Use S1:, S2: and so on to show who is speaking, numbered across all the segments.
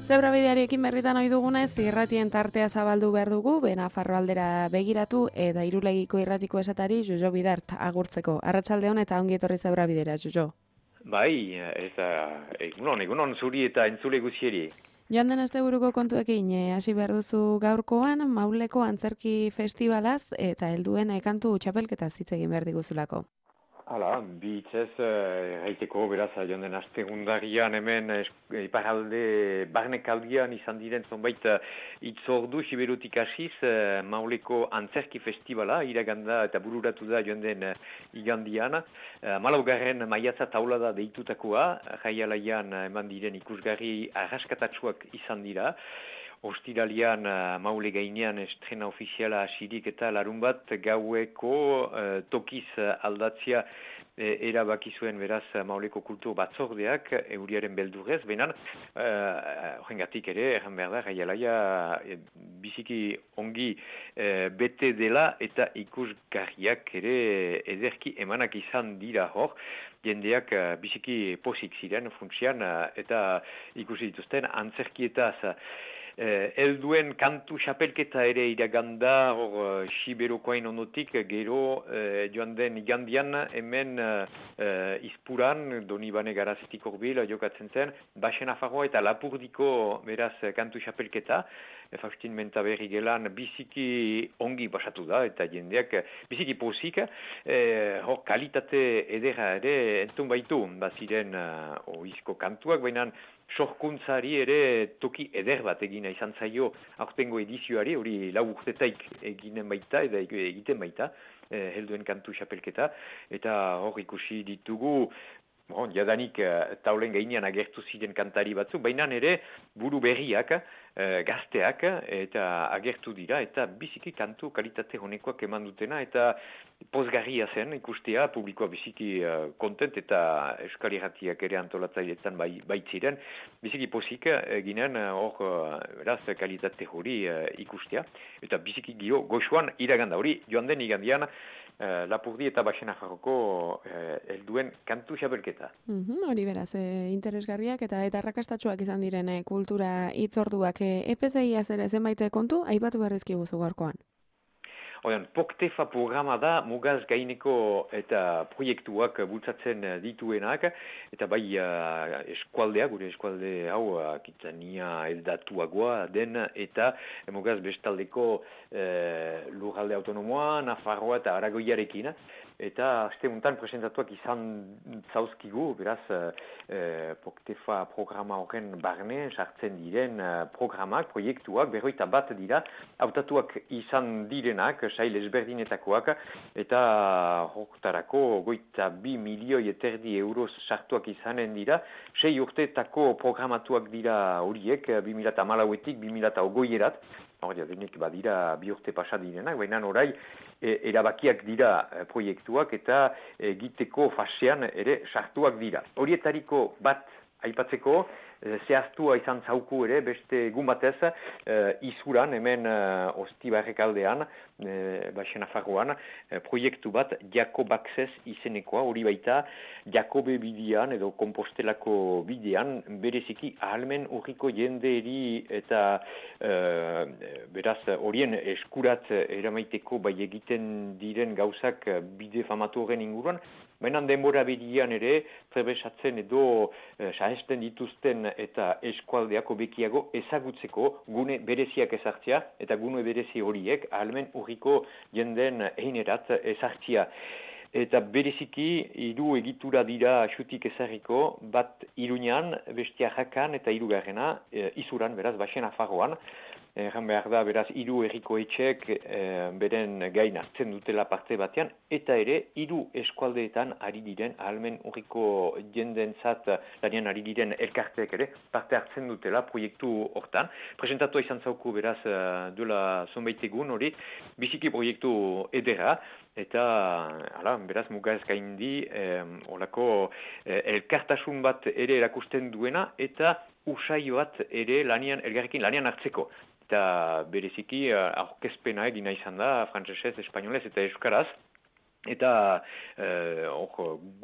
S1: Zebrabidearekin berritan ohi dugunez, irratien tartea zabaldu behar dugu, Nafarro aldera begiratu, eta Irulegiko irratiko esatari Jojo Bidart agurtzeko. Arratsaldeon eta ongi etorri Zebrabidera, Jojo.
S2: Bai, egunon zuri eta entzule guzieri.
S1: Joan den asteburuko kontuekin hasi behar duzu gaurkoan, Mauleko antzerki festivalaz eta helduen kantu txapelketaz hitz egin behar diguzulako.
S2: Hala, bitzez, gaiteko beraz, joan den astegundarian hemen iparalde barnekaldian izan diren zonbait itzordu siberutik hasiz Mauleko antzerki festivala iraganda eta bururatu da joan den igandian. Malaugarren maiatza taulada deitutakoa, jaialaian eman diren ikusgarri arraskatatsuak izan dira. Ostiralian Maule gainean estrena ofiziala hasirik eta larun bat gaueko tokiz aldatzia erabaki zuen beraz Mauleko kultur batzordeak euriaren beldurrez, benan horrengatik ere, erran behar da, jaialaia biziki ongi bete dela eta ikusgarriak ere ederki emanak izan dira hor, jendeak biziki pozik ziren funtsian eta ikusi dituzten antzerkietaz. Helduen kantu xapelketa ere iraganda hor Siberokoain onotik gero joan den igandian hemen izpuran Donibane Garazetik horbil jokatzen zen Basen Nafarroa eta Lapurdiko beraz kantu xapelketa Faustin Mentaberri gelan biziki ongi basatu da eta jendeak biziki pozik hor kalitate edera ere entzun baitu baziren oizko kantuak baina sorkuntzari ere toki eder bat egina izan zaio aurtengo edizioari, hori lau urtetaik eginen baita eta egiten baita helduen kantu xapelketa eta hor ikusi ditugu jadanik taulen gainean agertu ziren kantari batzu, baina ere buru berriak, gazteak eta agertu dira eta biziki kantu kalitate honekoak eman dutena eta pozgarria zen ikustea, publikoa biziki kontent eta Euskal Irratiak ere antolatzailetan baitziren, biziki pozik ginen hor beraz kalitate hori ikustea eta biziki goxuan iraganda hori joan den igandian Lapurdi eta Basen Nafarroko helduen kantu xapelketa.
S1: Hori beraz, interesgarriak eta arrakastatsuak izan diren kultura hitzorduak. EPCIaz ere zenbait kontu, aipatu beharrezki guzu gaurkoan.
S2: Poktefa programa da mugaz gaineko eta proiektuak bultzatzen dituenak, eta bai eskualdea, gure eskualde hau Akitania eldatuagoa den, eta mugaz bestaldeko lurralde autonomoa, Nafarroa eta Aragoiarekin, eta aste untan presentatuak izan zauzkigu, beraz Poktefa programa horren barne sartzen diren programak, proiektuak, 21 dira, hautatuak izan direnak, sail ezberdinetakoak, eta horretarako 22 milioi eterdi euroz sartuak izanen dira, 6 urteetako programatuak dira horiek, 2014etik 2020erat, denik badira 2 urte pasa direnak, baina orai erabakiak dira proiektuak eta egiteko fasean ere sartuak dira. Horietariko bat aipatzeko, zehaztua izan zauku ere, beste egun batez, izuran, hemen Ostibarrek aldean, Basen Nafarroan, proiektu bat Jakob Access izenekoa, hori baita Jakobe bidean edo Kompostelako bidean, bereziki ahalmen urriko jendeeri eta beraz horien eskurat eramaiteko bai egiten diren gauzak bide famatu horren inguruan, baina denbora bedian ere, trebesatzen edo sahesten dituzten eta eskualdeako bekiago ezagutzeko gune bereziak ezartzea eta gune berezi horiek ahalmen urriko jenden einerat ezartzea. Eta bereziki, 3 egitura dira xutik ezarriko, bat Iruñan, bestia Jakan eta 3. Izuran, beraz, Basen Nafarroan. Erran behar da, beraz, 3 herriko etxek beren gain hartzen dutela parte batean, eta ere, 3 eskualdeetan ari diren, ahalmen urriko jendentzat lanean ari diren elkarteek ere, parte hartzen dutela proiektu hortan. Presentatua izan zauku, beraz, duela zonbait egun hori, biziki proiektu edera, eta, beraz, mugaz gaindi, olako elkartasun bat ere erakusten duena, eta usaio bat ere elgarrekin lanean hartzeko. Eta bereziki aurkezpena egina izan da, frantsesez, espainolez eta euskaraz. Eta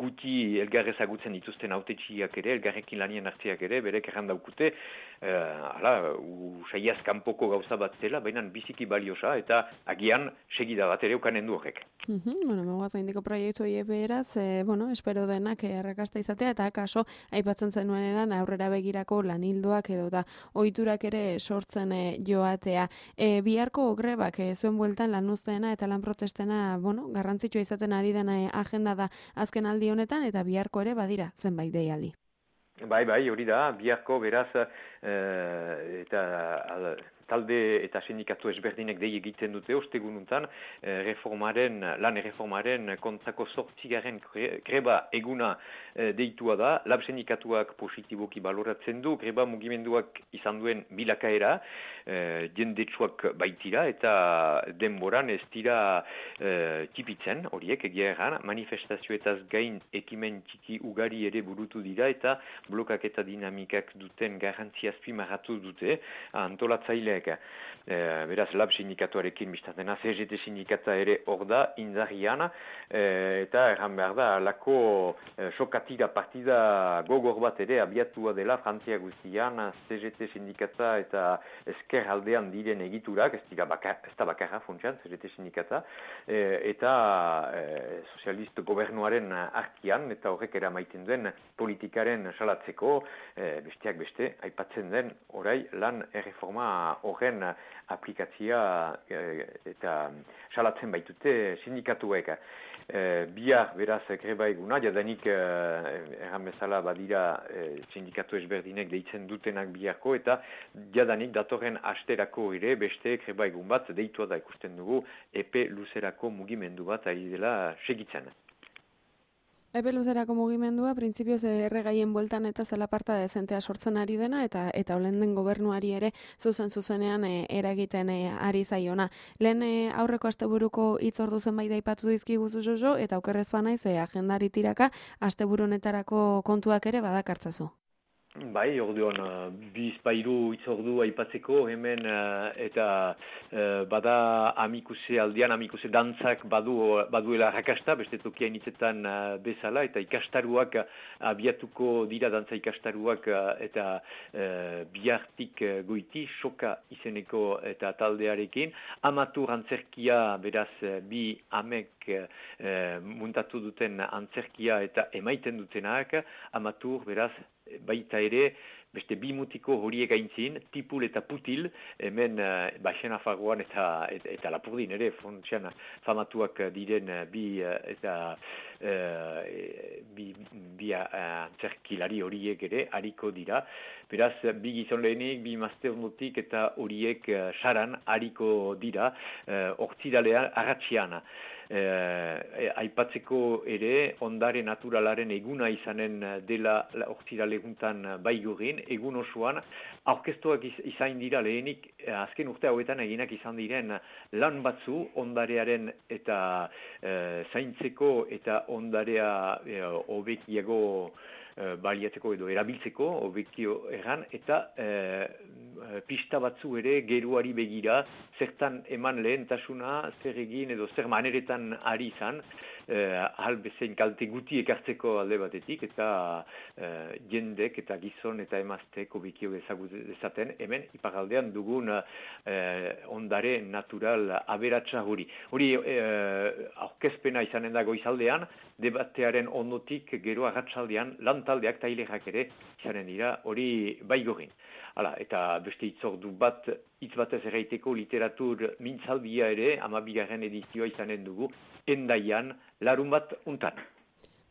S2: guti elgar ezagutzen dituzten hautetsiak ere, elgarrekin lanien hartziak ere, berek erran daukute, usaiaz kanpoko gauza bat zela, baina biziki baliosa eta agian segida bat ere ukanen du horrek.
S1: Bueno, megoaz gaindiko proiektu horiek beraz, espero denak errakasta izatea eta kaso aipatzen zenuenean aurrera begirako lanildoak edo da ohiturak ere sortzen joatea. Biharko grebak zuen bueltan lan uzteena eta lan protestena, garrantzitsua izaten ari dena agenda da azken aldi honetan eta biharko ere badira zenbait deialdi.
S2: Bai, hori da, biharko beraz eta talde eta sindikatu ezberdinek dei egiten dute ostegununtan lan erreformaren kontrako 8. greba eguna deitua da. Lab sindikatuak positiboki baloratzen du, greba mugimenduak izan duen bilakaera, jendetsuak baitira eta denboran ez dira tipitzen horiek egia erran, manifestazioetaz gain ekimen txiki ugari ere burutu dira eta blokak eta dinamikak duten garrantzia azpimarratu dute antolatzaileek. Beraz, lab sindikatuarekin biztatena, CGT sindikata ere hor da, indarrian, eta erran behar da, lako sokatira partida gogor bat ere abiatua dela Frantzia guztian, CGT sindikata eta ezker aldean diren egiturak, ez da bakarra funtsan, CGT sindikata, eta sozialist gobernuaren arkian, eta horrek eramaiten duen politikaren salatzeko, besteak beste, aipatzen den, orai, lan erreforma horren aplikatzia eta salatzen baitute sindikatuek. Bihar beraz greba eguna, jadanik erran bezala badira sindikatu ezberdinek deitzen dutenak biharko eta jadanik datorren asterako ere beste greba egun bat deitua da ikusten dugu epe luzerako mugimendu bat ari dela segitzen.
S1: Epe luzerako mugimendua, printzipioz erregaien bueltan eta zelaparta dezentea sortzen ari dena, eta olen den gobernuari ere zuzenean eragiten ari zaiona. Lehen aurreko asteburuko hitzordu zenbait aipatu dizkiguzu Jojo, eta okerrez banaiz agendari tiraka asteburu honetarako kontuak ere badakartzazu.
S2: Bai, orduan, bizpairu itzordu aipatzeko hemen eta bada amikuse dantzak baduela rakasta, beste tokiain hitzetan bezala, eta ikastaruak abiatuko dira dantza ikastaruak eta bihartik goiti, soka izeneko eta taldearekin. Amatur antzerkia, beraz, bi amek muntatu duten antzerkia eta emaiten dutenak, amatur, beraz, baita ere, beste bi mutiko horiek aintzin, tipul eta putil, hemen Baxena Fagoan eta Lapurdin ere, fontxean famatuak diren bi antzerkilari horiek ere, hariko dira. Beraz, bi gizon lehenik, bi mazte ondotik eta horiek saran hariko dira, hortzidalean, arratxian. Aipatzeko ere, ondare naturalaren eguna izanen dela hortzidaleguntan baigurin, egun osoan, aurkeztuak izan dira lehenik, azken urte hauetan eginak izan diren lan batzu ondarearen eta zaintzeko eta ondarea hobekiago baliatzeko edo erabiltzeko, hobekio erran, eta pista batzu ere geruari begira, zertan eman lehentasuna, zer egin edo zer maneretan ari izan, bezain kalte guti ekartzeko alde batetik, eta jendek eta gizon eta emaztek hobekio dezaten, hemen iparaldean dugun ondare natural aberatsa hori. Hori aurkezpena izanen da goizaldean, debatearen ondotik gero arratsaldean lantaldeak tailerak ere izanen dira hori baigorin. Eta beste hitzordu bat, hitz batez erraiteko literatur mintzaldia ere, 12. edizioa izanen dugu, Endaian, larun bat untan.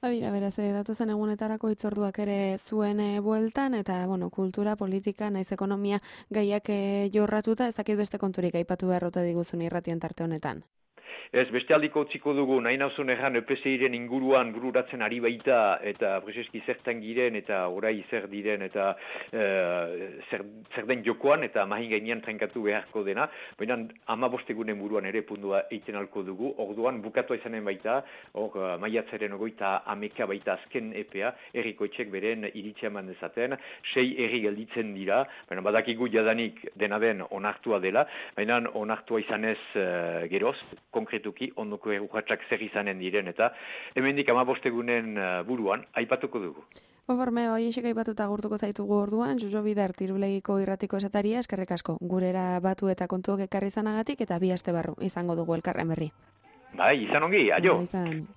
S1: Badira, beraz, datozen egunetarako hitzorduak ere zuen bueltan, eta, kultura, politika, naiz ekonomia gaiak jorratuta, ez dakit beste konturik aipatu beharrote diguzun irratien tarte honetan.
S2: Ez, beste aldiko utziko dugu, nahi nauzun erran EPSI-ren inguruan bururatzen ari baita, eta prezeski zertan giren, eta orai zer diren, eta zer den jokoan, eta mahin gainean trenkatu beharko dena, baina 15 egunen buruan ere pundua eiten alko dugu, orduan bukatua izanen baita, maiatzaren 30 baita azken EPA, herrikoetxek beren iritzia eman dezaten, 6 herri gelditzen dira, baina badakigu jadanik dena den onartua dela, baina onartua izanez geroz, konkretuki, ondoko urratsak zer izanen diren, eta hemendik 15 egunen buruan aipatuko dugu.
S1: Konforme, hoiexek aipatuta agurtuko zaitugu orduan, Jojo Bider Tirulegiko irratiko esataria, eskerrik asko. Gurera batu eta kontuok ekarri izanagatik eta 2 aste barru izango dugu elkarren berri.
S2: Bai, izan ongi, aio.
S1: Izan.